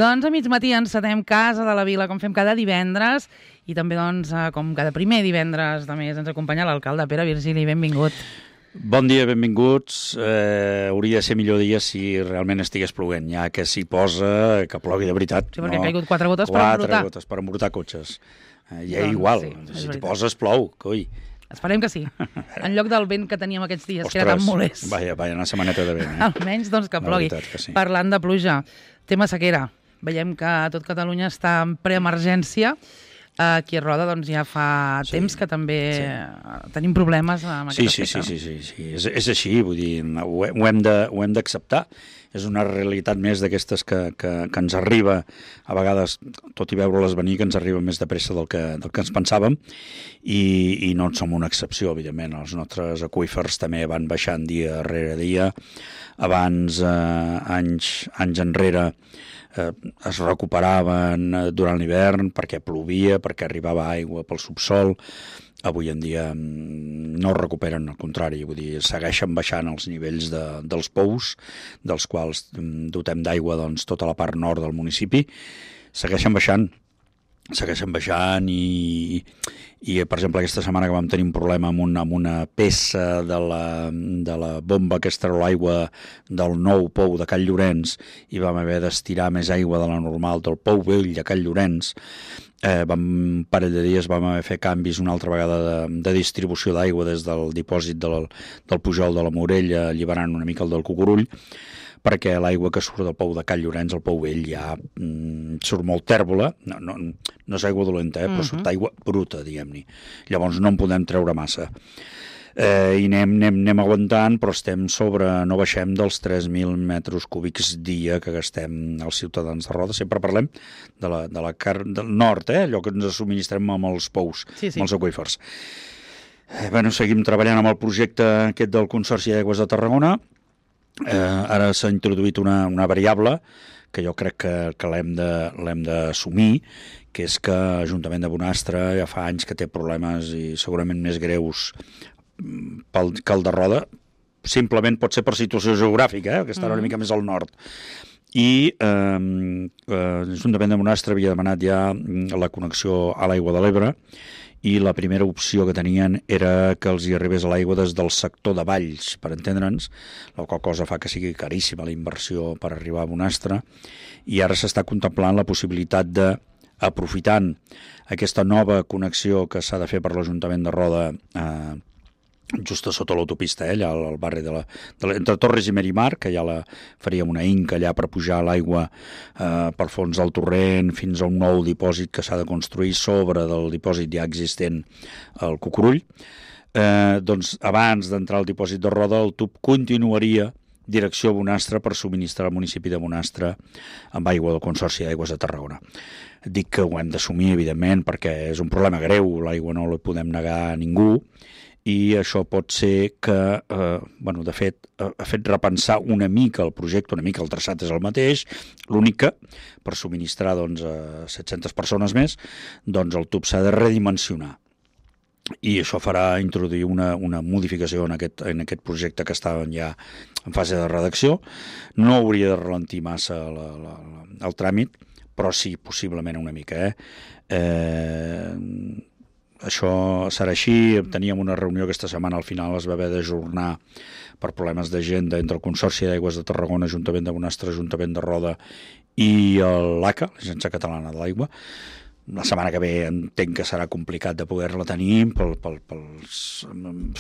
Doncs a mig matí encetem Casa de la Vila, com fem cada divendres, i també, doncs, com cada primer divendres de mes, ens acompanya l'alcalde Pere Virgili. Benvingut. Bon dia, benvinguts. Hauria de ser millor dia si realment estigués ploguent, ja que s'hi posa, que plogui de veritat. Sí, perquè han caigut 4 gotes per embrutar. 4 gotes per embrutar cotxes. Ja Doncs, igual, sí, si t'hi poses plou, coi. Esperem que sí. En lloc del vent que teníem aquests dies, que era tan molest. Vaja, una setmaneta de vent. Almenys, doncs, que plogui. Sí. Parlant de pluja, tema sequera. Veiem que tot Catalunya està en preemergència. Aquí a Roda doncs, ja fa temps que també tenim problemes amb aquest aspecte. Sí. És així, vull dir, ho hem d'acceptar. És una realitat més d'aquestes que ens arriba, a vegades, tot i veure-les venir, que ens arriba més de pressa del que ens pensàvem, i no en som una excepció, evidentment. Els nostres aqüífers també van baixant dia rere dia. Abans, anys enrere, es recuperaven durant l'hivern perquè plovia, perquè arribava aigua pel subsol. Avui en dia no es recuperen, al contrari, vull dir, segueixen baixant els nivells dels pous, dels quals dotem d'aigua doncs, tota la part nord del municipi. Segueixen baixant i per exemple, aquesta setmana que vam tenir un problema amb una peça de la bomba que es treu l'aigua del nou pou de Call Llorenç, i vam haver d'estirar més aigua de la normal del pou vell de Call Llorenç. Un parell de dies vam haver fer canvis una altra vegada de distribució d'aigua des del dipòsit del Pujol de la Morella, alliberant una mica el del Cucurull, perquè l'aigua que surt del pou de Call Llorenç, el pou vell, ja surt molt tèrbola, no és aigua dolenta, però surt aigua bruta, diguem-ne. Llavors no en podem treure massa. I anem aguantant, però no baixem dels 3.000 metres cúbics dia que gastem els ciutadans de Roda. Sempre parlem del nord, allò que ens subministrem amb els pous, amb els aqüífers. Seguim treballant amb el projecte aquest del Consorci d'Aigües de Tarragona. Ara s'ha introduït una variable que jo crec que l'hem d'assumir, que és que l'Ajuntament de Bonastre ja fa anys que té problemes i segurament més greus que el de Roda. Simplement pot ser per situació geogràfica, que està una mica més al nord. I l'Ajuntament de Bonastre havia demanat ja la connexió a l'aigua de l'Ebre, i la primera opció que tenien era que els hi arribés l'aigua des del sector de Valls, per entendre'ns, la qual cosa fa que sigui caríssima la inversió per arribar a Bonastre, i ara s'està contemplant la possibilitat de, aprofitant aquesta nova connexió que s'ha de fer per l'Ajuntament de Roda, just a sota l'autopista, allà al barri entre Torres i Merimar, que ja faríem una inca allà per pujar l'aigua per fons del torrent fins a un nou dipòsit que s'ha de construir sobre del dipòsit ja existent al Cucurull. Doncs abans d'entrar al dipòsit de Roda, el tub continuaria direcció a Bonastre per subministrar al municipi de Bonastre amb aigua del Consorci d'Aigües de Tarragona. Dic que ho hem d'assumir, evidentment, perquè és un problema greu, l'aigua no la podem negar a ningú, i això pot ser que, de fet, ha fet repensar una mica el projecte, una mica el traçat és el mateix, l'únic que, per subministrar a 700 persones més, doncs el tub s'ha de redimensionar. I això farà introduir una modificació en aquest projecte que està ja en fase de redacció. No hauria de ralentir massa el tràmit, però sí, possiblement una mica. Això serà així. Teníem una reunió aquesta setmana, al final es va haver d'ajornar per problemes d'agenda entre el Consorci d'Aigües de Tarragona, Ajuntament de Bonastre, Ajuntament de Roda i l'ACA, l'Agència Catalana de l'Aigua. La setmana que ve entenc que serà complicat de poder-la tenir pels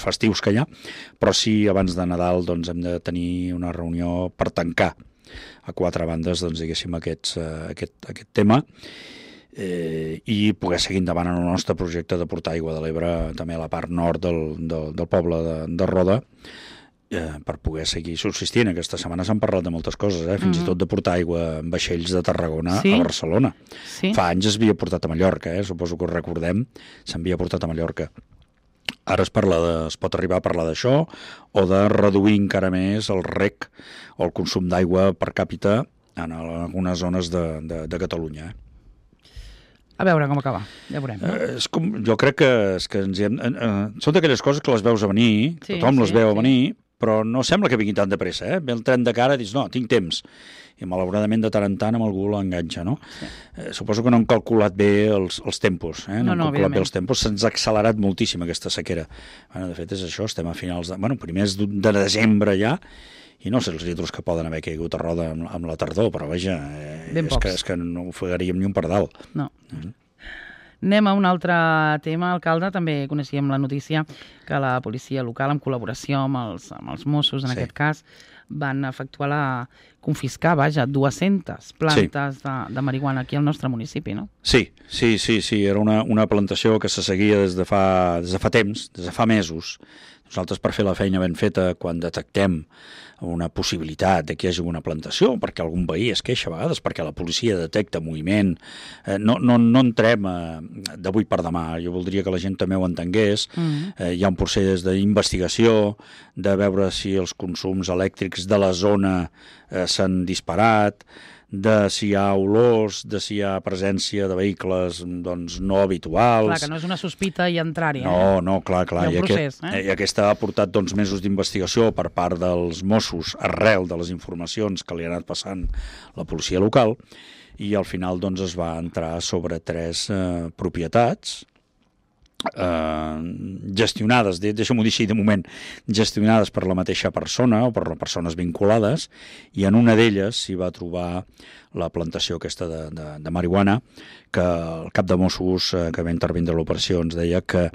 festius que hi ha, però sí, abans de Nadal doncs, hem de tenir una reunió per tancar a 4 bandes, doncs, diguéssim, aquest tema, i poder seguir endavant en el nostre projecte de portar aigua de l'Ebre també a la part nord del poble de Roda, per poder seguir subsistint. Aquesta setmana s'han parlat de moltes coses, fins i tot de portar aigua en vaixells de Tarragona a Barcelona. Fa anys es havia portat a Mallorca, suposo que ho recordem, s'havia portat a Mallorca. Ara es pot arribar a parlar d'això, o de reduir encara més el reg o el consum d'aigua per càpita en algunes zones de Catalunya. A veure com acaba, ja veurem. Jo crec que són d'aquelles coses que les veus a venir, tothom les veu a venir, però no sembla que vingui tan de pressa, eh? Ve el tren de cara i dius, no, tinc temps. I malauradament de tant en tant amb algú l'enganxa, no? Sí. Suposo que no han calculat bé els tempos, no han calculat bé els tempos, se'ns ha accelerat moltíssim aquesta sequera. Bueno, de fet és això, estem a finals primers de desembre ja, i no sé els litros que poden haver caigut a Roda amb la tardor, però vaja, és que no ofegaríem ni un pardal. No. Anem a un altre tema, alcalde. També coneixíem la notícia que la policia local, en col·laboració amb els Mossos, en aquest cas, van efectuar confiscar, 200 plantes de marihuana aquí al nostre municipi, no? Sí. Era una plantació que se seguia des de fa temps, des de fa mesos. Nosaltres, per fer la feina ben feta, quan detectem una possibilitat de que hi hagi una plantació, perquè algun veí es queixa a vegades, perquè la policia detecta moviment, no entrem d'avui per demà. Jo voldria que la gent també ho entengués. Hi ha un procés d'investigació, de veure si els consums elèctrics de la zona s'han disparat, de si hi ha olors, de si hi ha presència de vehicles doncs, no habituals. Clar, que no és una sospita i entrar-hi. No, clar. Hi ha un procés. I aquesta ha portat mesos d'investigació per part dels Mossos arrel de les informacions que li ha anat passant la policia local, i al final es va entrar sobre 3 propietats gestionades, deixa'm-ho dir així de moment, gestionades per la mateixa persona o per persones vinculades, i en una d'elles s'hi va trobar la plantació aquesta de marihuana, que el cap de Mossos que va intervindre l'operació ens deia que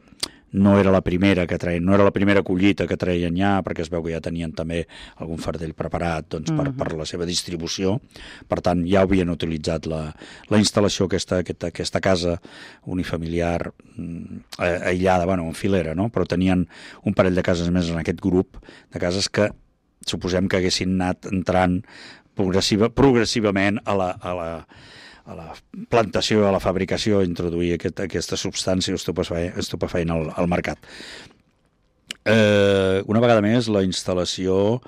no era la primera que treien, no era la primera collita que treien ja, perquè es veu que ja tenien també algun fardell preparat per la seva distribució. Per tant, ja havien utilitzat la instal·lació aquesta casa unifamiliar aïllada, en filera, no? Però tenien un parell de cases més en aquest grup de cases que suposem que haguessin anat entrant progressivament a la plantació, a la fabricació, introduir aquesta substància estupefaent al mercat. Una vegada més, la instal·lació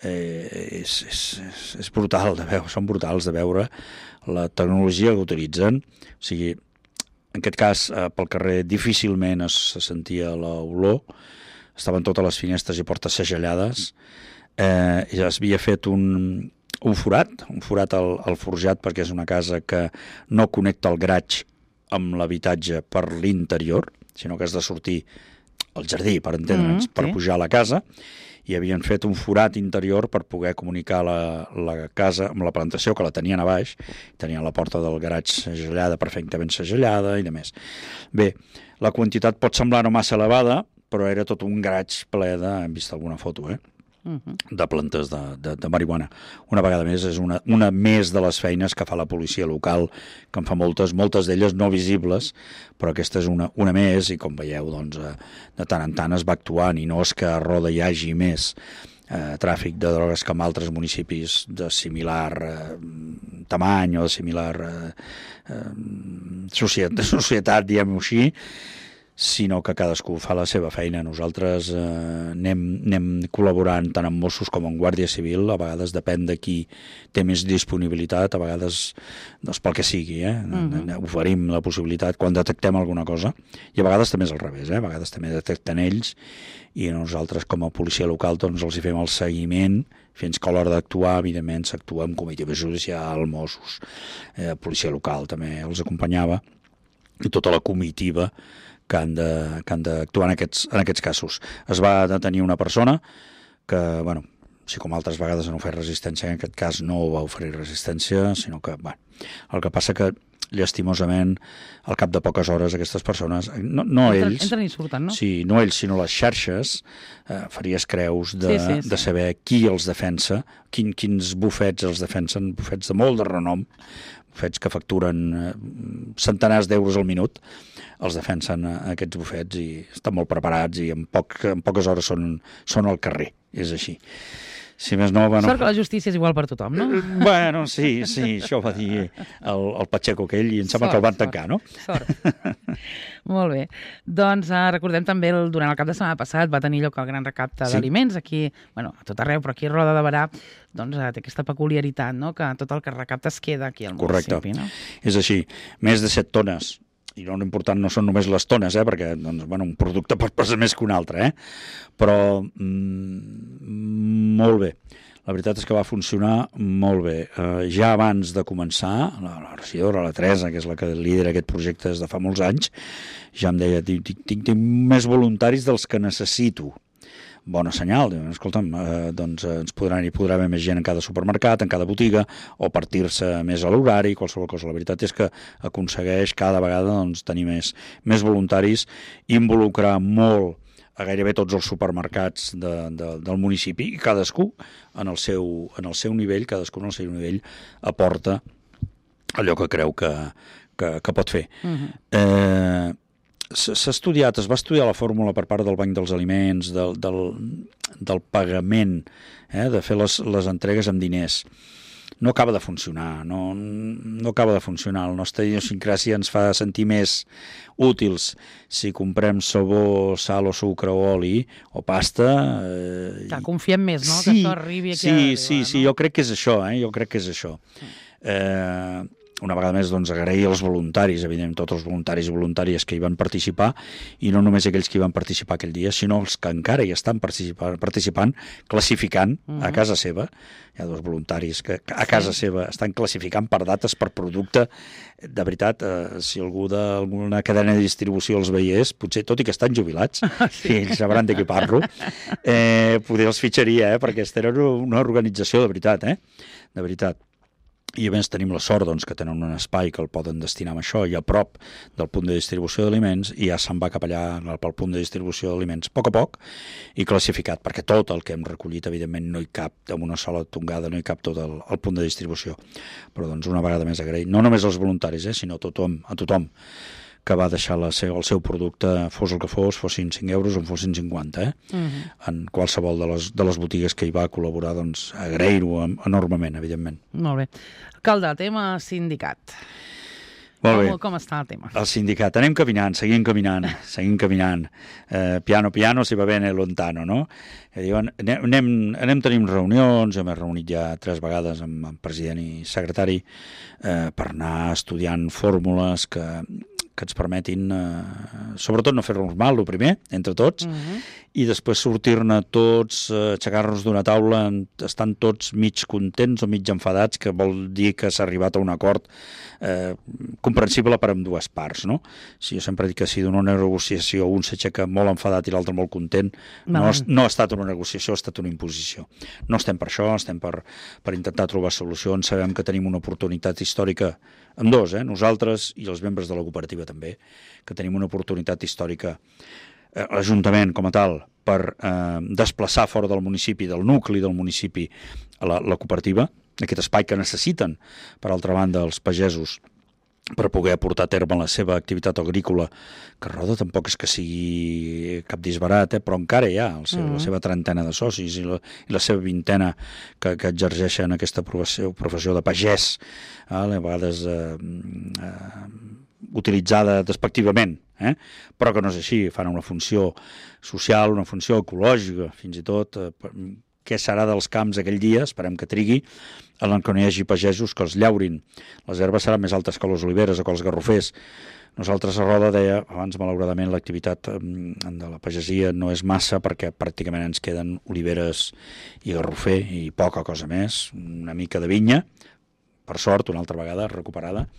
és brutal de veure, són brutals de veure la tecnologia que utilitzen. O sigui, en aquest cas, pel carrer difícilment es sentia l'olor, estaven totes les finestres i portes segellades, ja es havia fet un forat al forjat, perquè és una casa que no connecta el garatge amb l'habitatge per l'interior, sinó que has de sortir al jardí, per entendre'ns, per pujar a la casa, i havien fet un forat interior per poder comunicar la casa amb la plantació, que la tenien a baix, tenien la porta del garatge segellada, perfectament segellada i de més. Bé, la quantitat pot semblar no massa elevada, però era tot un garatge ple hem vist alguna foto, de plantes de marihuana. Una vegada més, és una més de les feines que fa la policia local, que en fa moltes d'elles no visibles, però aquesta és una més, i com veieu, de tant en tant es va actuant, i no és que a Roda hi hagi més tràfic de drogues que en altres municipis de similar tamany o de similar societat, diguem-ho així, sinó que cadascú fa la seva feina. Nosaltres anem col·laborant tant amb Mossos com amb Guàrdia Civil, a vegades depèn de qui té més disponibilitat, a vegades pel que sigui, oferim la possibilitat quan detectem alguna cosa, i a vegades també és al revés, a vegades també detecten ells, i nosaltres com a policia local els hi fem el seguiment fins que a l'hora d'actuar, evidentment, s'actua amb comitiva judicial, Mossos, policia local també els acompanyava, i tota la comitiva que han d'actuar en aquests casos. Es va detenir una persona que, així com altres vegades han ofert resistència, en aquest cas no va oferir resistència, sinó que, el que passa que, llastimosament, al cap de poques hores aquestes persones, no ells... Entren i surten, no? Sí, no ells, sinó les xarxes, faries creus de saber qui els defensa, quins bufets els defensen, bufets de molt de renom, bufets que facturen centenars d'euros al minut, els defensen aquests bufets i estan molt preparats i en poques hores són al carrer, és així. Si més no... Sort que la justícia és igual per tothom, no? Sí, això va dir el Pacheco aquell i em sembla que el van tancar, no? Sort. Molt bé. Doncs recordem també, durant el cap de setmana passat va tenir lloc el gran recapte d'aliments aquí, a tot arreu, però aquí a Roda de Berà té aquesta peculiaritat, no?, que tot el que recapta es queda aquí al municipi, no? Correcte. És així. Més de 7 tones i no important no són només les tones, perquè doncs, bueno, un producte pot pesar més que un altre, però molt bé. La veritat és que va funcionar molt bé. Ja abans de començar, la regidora, la Teresa, que és la que lidera aquest projecte des de fa molts anys, ja em deia, tinc més voluntaris dels que necessito. Bona senyal, escolta'm, doncs hi podrà haver més gent en cada supermercat, en cada botiga, o partir-se més a l'horari, qualsevol cosa. La veritat és que aconsegueix cada vegada doncs, tenir més voluntaris, involucrar molt a gairebé tots els supermercats del municipi, i cadascú en el seu nivell, cadascú en el seu nivell aporta allò que creu que pot fer. S'ha estudiat, es va estudiar la fórmula per part del Banc dels Aliments, del pagament, de fer les entregues amb diners. No acaba de funcionar, no acaba de funcionar. La nostra idiosincràsia ens fa sentir més útils si comprem sabó, sal o sucre o oli o pasta. Confiem més, no? Que això arribi aquí. Sí, jo crec que és això, jo crec que és això. Una vegada més, doncs, agrair als voluntaris, evidentment, tots els voluntaris i voluntàries que hi van participar, i no només aquells que hi van participar aquell dia, sinó els que encara hi estan participant, classificant a casa seva. Hi ha dos voluntaris que a casa seva estan classificant per dates, per producte. De veritat, si algú d'alguna cadena de distribució els veiés, potser, tot i que estan jubilats, i ells sabran de què parlo, poder els fitxaria, perquè aquesta era una organització de veritat, de veritat. I a més tenim la sort doncs, que tenen un espai que el poden destinar a això i a prop del punt de distribució d'aliments, i ja se'n va cap allà pel punt de distribució d'aliments a poc i classificat, perquè tot el que hem recollit evidentment no hi cap, amb una sola tongada no hi cap tot el punt de distribució. Però doncs una vegada més agrair, no només als voluntaris, sinó a tothom que va deixar el seu producte, fos el que fossin 5 euros o en fossin 50, en qualsevol de les botigues que hi va col·laborar, doncs agrair-ho enormement, evidentment. Molt bé. Alcalde, tema sindicat. Molt bé. Com està el tema? El sindicat. Anem caminant, seguim caminant. Piano si va bene lontano, no? Diuen, anem tenint reunions, hem reunit ja 3 vegades amb el president i secretari per anar estudiant fórmules que ens permetin, sobretot no fer-nos mal, el primer, entre tots, i després sortir-ne tots, aixecar-nos d'una taula, estan tots mig contents o mig enfadats, que vol dir que s'ha arribat a un acord comprensible per ambdues parts, no? Si jo sempre dic que si d'una negociació un s'aixeca molt enfadat i l'altre molt content, no ha estat una negociació, ha estat una imposició. No estem per això, estem per intentar trobar solucions, sabem que tenim una oportunitat històrica amb dos, nosaltres i els membres de la cooperativa també, que tenim una oportunitat històrica, l'Ajuntament com a tal, per desplaçar fora del municipi, del nucli del municipi, la cooperativa, aquest espai que necessiten, per altra banda, els pagesos, per poder portar a terme la seva activitat agrícola, que Roda tampoc és que sigui cap disbarat, però encara hi ha la seva trentena de socis i la seva vintena que exerceixen aquesta professió de pagès, a vegades utilitzada despectivament, però que no és així, fan una funció social, una funció ecològica, fins i tot. Què serà dels camps aquell dia, esperem que trigui, en què no hi hagi pagesos que els llaurin. Les herbes seran més altes que les oliveres o que els garrofers. Nosaltres a Roda, deia abans, malauradament l'activitat de la pagesia no és massa, perquè pràcticament ens queden oliveres i garrofer i poca cosa més, una mica de vinya, per sort, una altra vegada recuperada,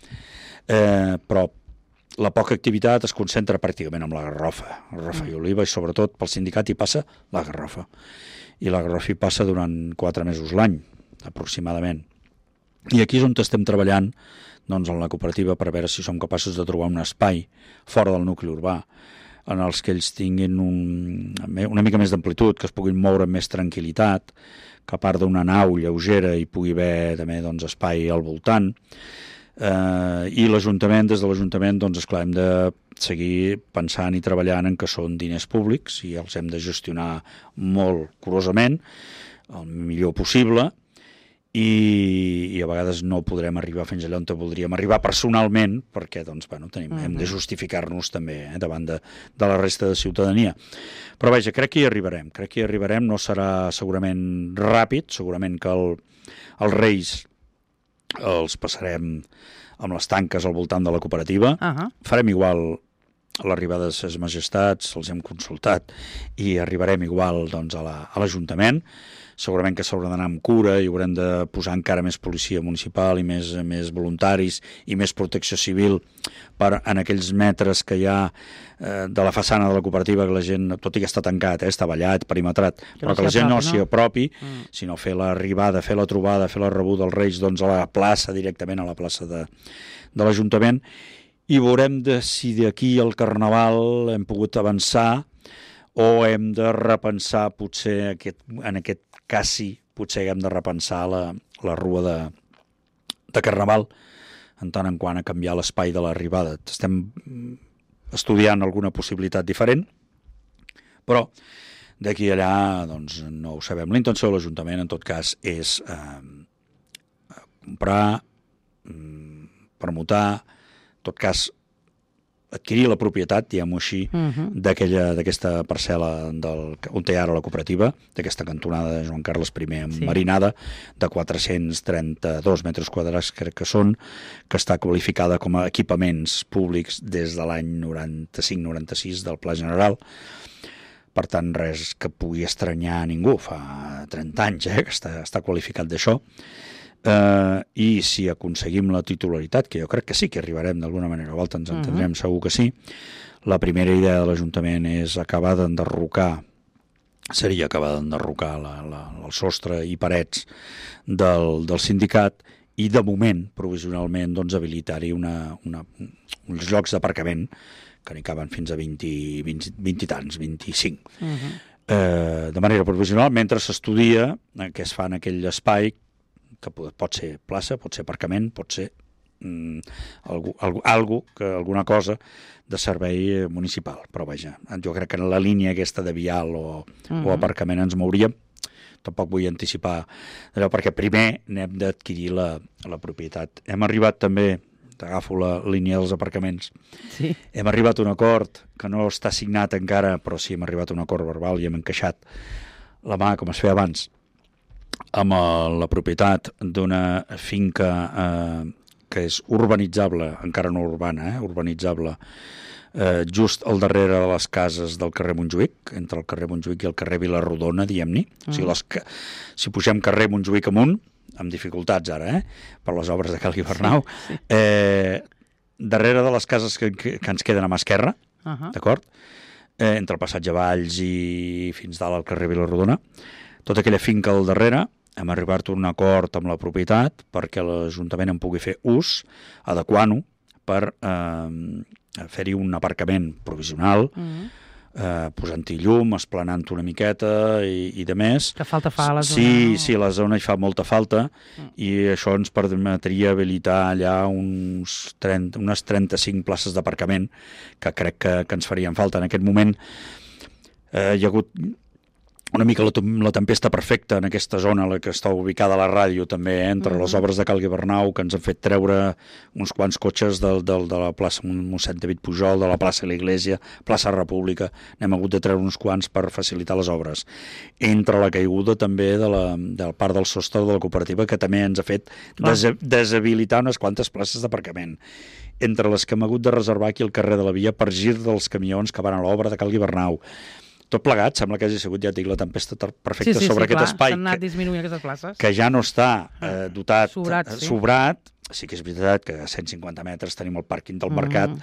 però la poca activitat es concentra pràcticament en la garrofa i oliva, i sobretot pel sindicat hi passa la garrofa. I la garrofa hi passa durant 4 mesos l'any, aproximadament. I aquí és on estem treballant, doncs, en la cooperativa, per veure si som capaços de trobar un espai fora del nucli urbà, en els que ells tinguin una mica més d'amplitud, que es puguin moure amb més tranquil·litat, que a part d'una nau lleugera hi pugui haver també, doncs, espai al voltant. I l'Ajuntament, des de l'Ajuntament, doncs, esclar, hem de seguir pensant i treballant en que són diners públics i els hem de gestionar molt curosament, el millor possible, i a vegades no podrem arribar fins allà on voldríem arribar personalment, perquè doncs, hem de justificar-nos també davant de la resta de ciutadania. Però vaja, crec que hi arribarem, no serà segurament ràpid, segurament que els Reis els passarem amb les tanques al voltant de la cooperativa. Farem igual a l'arribada de ses majestats, els hem consultat i arribarem igual doncs, a l'Ajuntament. Segurament que s'haurà d'anar amb cura i haurem de posar encara més policia municipal i més voluntaris i més protecció civil en aquells metres que hi ha de la façana de la cooperativa, que la gent, tot i que està tancat, està vallat, perimetrat, però que la gent no s'hi apropi, sinó fer l'arribada, fer la trobada, fer la rebuda als Reis doncs, a la plaça, directament a la plaça de l'Ajuntament, i veurem si d'aquí al Carnaval hem pogut avançar o hem de repensar, potser en aquest cas sí, potser hem de repensar la rua de Carnaval en tant en quant a canviar l'espai de l'arribada. Estem estudiant alguna possibilitat diferent, però d'aquí a allà doncs, no ho sabem. La intenció de l'Ajuntament, en tot cas, és comprar, permutar, en tot cas, adquirir la propietat, diguem-ho així, d'aquesta parcel·la on té ara la cooperativa, d'aquesta cantonada de Joan Carles I enmarinada, de 432 metres quadrats, crec que són, que està qualificada com a equipaments públics des de l'any 95-96 del Pla General. Per tant, res que pugui estranyar a ningú. Fa 30 anys que està qualificat d'això. I si aconseguim la titularitat, que jo crec que sí que arribarem d'alguna manera o altra, ens entendrem segur que sí, la primera idea de l'Ajuntament és acabar d'enderrocar el sostre i parets del sindicat i de moment, provisionalment, doncs, habilitar-hi uns llocs d'aparcament que n'hi caben fins a 20 i tants, 25. De manera provisional, mentre s'estudia què es fa en aquell espai, que pot ser plaça, pot ser aparcament, pot ser alguna cosa de servei municipal. Però vaja, jo crec que en la línia aquesta de vial o aparcament ens mouríem. Tampoc vull anticipar allò, perquè primer n'hem d'adquirir la propietat. Hem arribat també, t'agafo la línia dels aparcaments, hem arribat a un acord que no està signat encara, però sí hem arribat a un acord verbal i hem encaixat la mà, com es feia abans, amb la propietat d'una finca que és urbanitzable, encara no urbana, urbanitzable, just al darrere de les cases del carrer Montjuïc, entre el carrer Montjuïc i el carrer Vilarrodona, diguem-ne. O sigui, si pugem carrer Montjuïc amunt, amb dificultats ara, per les obres de Cal Guibernau, darrere de les cases que ens queden a mà esquerra, d'acord? Entre el passatge Valls i fins dalt al carrer Vilarrodona, tota aquella finca al darrere, hem arribat a un acord amb la propietat perquè l'Ajuntament en pugui fer ús, adequant-ho per fer-hi un aparcament provisional, posant-hi llum, esplanant una miqueta i de més. Que falta fa a la zona. Sí, a la zona hi fa molta falta i això ens permetria habilitar allà unes 35 places d'aparcament que crec que ens farien falta. En aquest moment hi ha hagut una mica la tempesta perfecta en aquesta zona, la que està ubicada a la ràdio també, entre les obres de Cal Guibernau, que ens han fet treure uns quants cotxes de la plaça Mossèn David Pujol, de la plaça de l'Iglésia, plaça República, n'hem hagut de treure uns quants per facilitar les obres. Entre la caiguda també del part del sostre de la cooperativa, que també ens ha fet deshabilitar unes quantes places d'aparcament. Entre les que hem hagut de reservar aquí al carrer de la Via per gir dels camions que van a l'obra de Cal Guibernau. Tot plegat, sembla que hagi sigut, ja et dic, la tempesta perfecta sobre aquest espai. S'han anat disminuint aquestes places. Que ja no està dotat, sobrat. Sí que és veritat que a 150 metres tenim el pàrquing del mercat,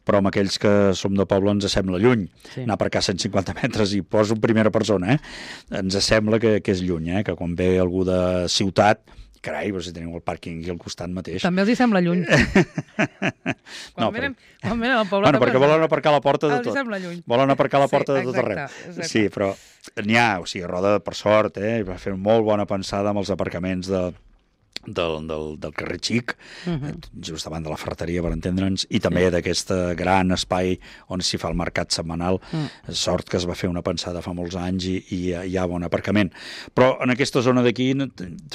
però amb aquells que som de poble ens sembla lluny. Anar per cá 150 metres i poso en primera persona, ens sembla que és lluny, que quan ve algú de ciutat, carai, però si teniu el pàrquing aquí al costat mateix. També els hi sembla lluny. Quan venen al poble... Bueno, perquè volen aparcar a la porta de tot. Els hi sembla lluny. Volen aparcar a la porta de tot arreu. Sí, però n'hi ha, o sigui, Roda, per sort, va fer molt bona pensada amb els aparcaments del carrer Xic, just davant de la ferreteria, per entendre'ns, i també d'aquest gran espai on s'hi fa el mercat setmanal. Sort que es va fer una pensada fa molts anys i hi ha bon aparcament. Però en aquesta zona d'aquí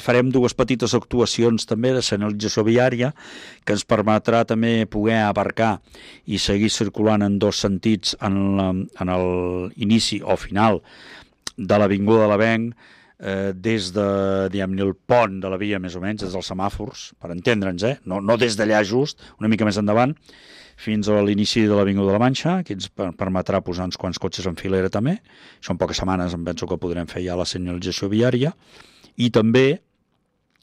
farem dues petites actuacions també de senyalització viària que ens permetrà també poder aparcar i seguir circulant en dos sentits en l'inici o final de l'Avinguda de l'Avenc, des de, diguem-ne, el pont de la via, més o menys, des dels semàfors, per entendre'ns, no des d'allà just, una mica més endavant, fins a l'inici de l'Avinguda de la Manxa, que ens permetrà posar uns quants cotxes en filera també. Això en poques setmanes em penso que podrem fer ja la senyalització viària. I també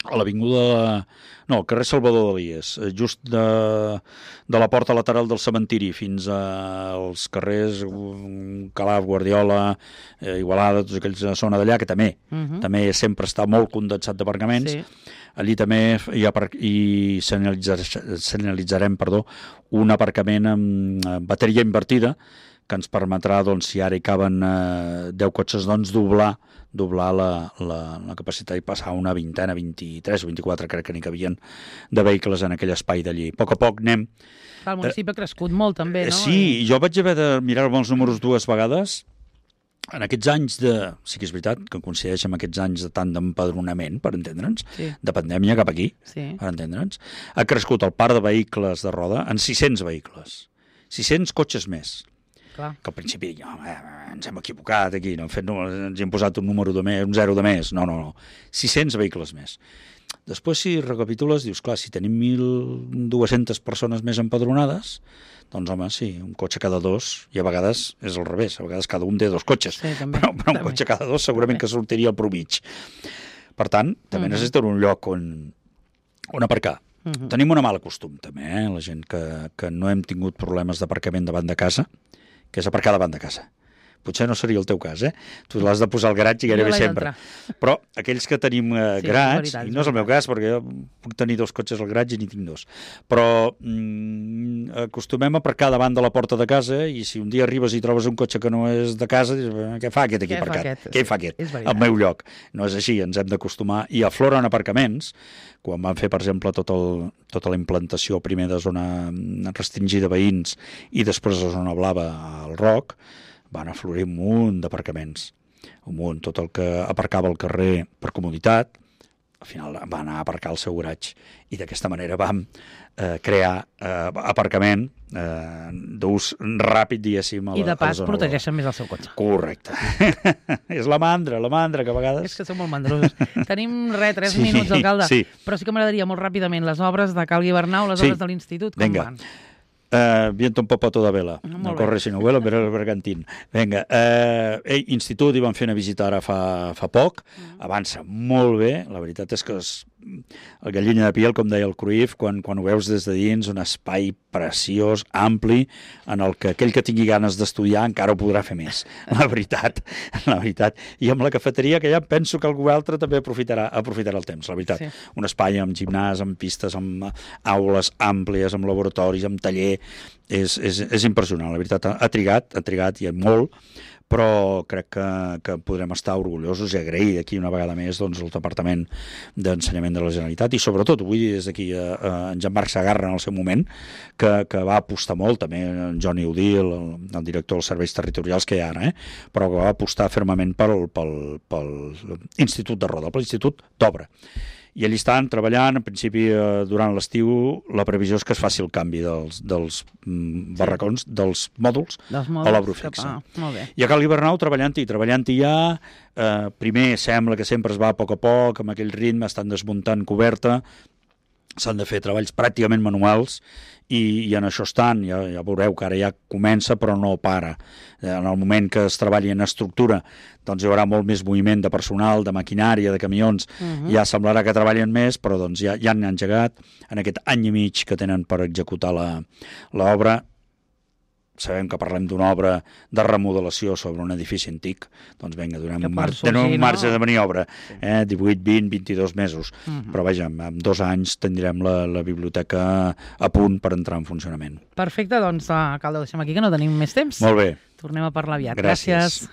a l'avinguda... No, al carrer Salvador Dalíes, just de la porta lateral del cementiri fins als carrers Calaf, Guardiola, Igualada, tota aquella zona d'allà, que també sempre està molt condensat d'aparcaments. Sí. Allí també hi senyalitzarem un aparcament amb bateria invertida, que ens permetrà, si ara hi caben 10 cotxes, doblar la capacitat i passar una vintena, 23 o 24, crec que n'hi cabien, de vehicles en aquell espai d'allí. A poc anem... El municipi ha crescut molt, també, no? Sí, jo vaig haver de mirar-me els números 2 vegades. En aquests anys sí que és veritat que coincideix amb aquests anys de tant d'empadronament, per entendre'ns, de pandèmia cap aquí, per entendre'ns, ha crescut el parc de vehicles de roda en 600 vehicles. 600 cotxes més. Clar. Que al principi ens hem equivocat aquí, ens hem posat un número de més, un 0 de més. No. 600 vehicles més. Després, si recapitules, dius, clar, si tenim 1.200 persones més empadronades, doncs, home, sí, un cotxe cada 2, i a vegades és al revés, a vegades cada un té 2 cotxes, però un cotxe cada 2 segurament que sortiria al promig. Per tant, també necessiten un lloc on aparcar. Tenim una mala costum, també, la gent que no hem tingut problemes d'aparcament davant de casa, que és aparcar davant de casa. Potser no seria el teu cas, Tu l'has de posar al garatge gairebé sempre. Però aquells que tenim garatge, i no és el meu cas, perquè jo puc tenir 2 cotxes al garatge i n'hi tinc 2, però acostumem a aparcar davant de la porta de casa i si un dia arribes i trobes un cotxe que no és de casa, dius, què fa aquest aquí aparcat? Què fa aquest? Al meu lloc. No és així, ens hem d'acostumar. I afloren aparcaments, quan van fer, per exemple, tota la implantació primer de zona restringida a veïns i després de zona blava al Roc, van aflorir un munt d'aparcaments. Un munt, tot el que aparcava al carrer per comoditat, al final va anar a aparcar al seu garatge. I d'aquesta manera vam crear aparcament d'ús ràpid, diguéssim, a la zona. I de pas protegeixen més el seu cotxe. Correcte. És la mandra, que a vegades... És que som molt mandrosos. Tenim 3 minuts, alcalde, però sí que m'agradaria molt ràpidament les obres de Cal Guibernau, les obres de l'Institut, com van? Viento un poco a toda vela, no corre sinó vuelo, però el bergantín. Vinga, institut hi van fer una visita ara fa poc, avança molt bé, la veritat és que el gallina de piel, com deia el Cruyff, quan ho veus des de dins, un espai preciós, ampli, en el que aquell que tingui ganes d'estudiar encara ho podrà fer més, la veritat. I amb la cafeteria, que ja penso que algú altre també aprofitarà el temps, la veritat. Un espai amb gimnàs, amb pistes, amb aules àmplies, amb laboratoris, amb taller, és impressionant, la veritat. Ha trigat i molt, però crec que podrem estar orgullosos i agrair aquí una vegada més el Departament d'Ensenyament de la Generalitat i sobretot vull dir des d'aquí a en Jean-Marc Sagarra en el seu moment que va apostar molt, també en Johnny Udil, el director dels serveis territorials que hi ha ara, però que va apostar fermament pel Institut de Roda, per l'Institut d'Obra. I allà estan treballant, en principi durant l'estiu, la previsió és que es faci el canvi dels barracons, dels mòduls a l'obra fixa. I a Cal Guibernau treballant-hi ja, primer sembla que sempre es va a poc, amb aquell ritme, estan desmuntant coberta, s'han de fer treballs pràcticament manuals i en això estan, ja veureu que ara ja comença però no para. En el moment que es treballi en estructura doncs hi haurà molt més moviment de personal, de maquinària, de camions, ja semblarà que treballen més, però doncs ja han engegat en aquest any i mig que tenen per executar l'obra. Sabem que parlem d'una obra de remodelació sobre un edifici antic, doncs vinga, donem un marge de maniobra, 18, 20, 22 mesos, però vaja, en 2 anys tindrem la biblioteca a punt per entrar en funcionament. Perfecte, doncs, alcalde, ho deixem aquí, que no tenim més temps. Molt bé. Tornem a parlar aviat. Gràcies.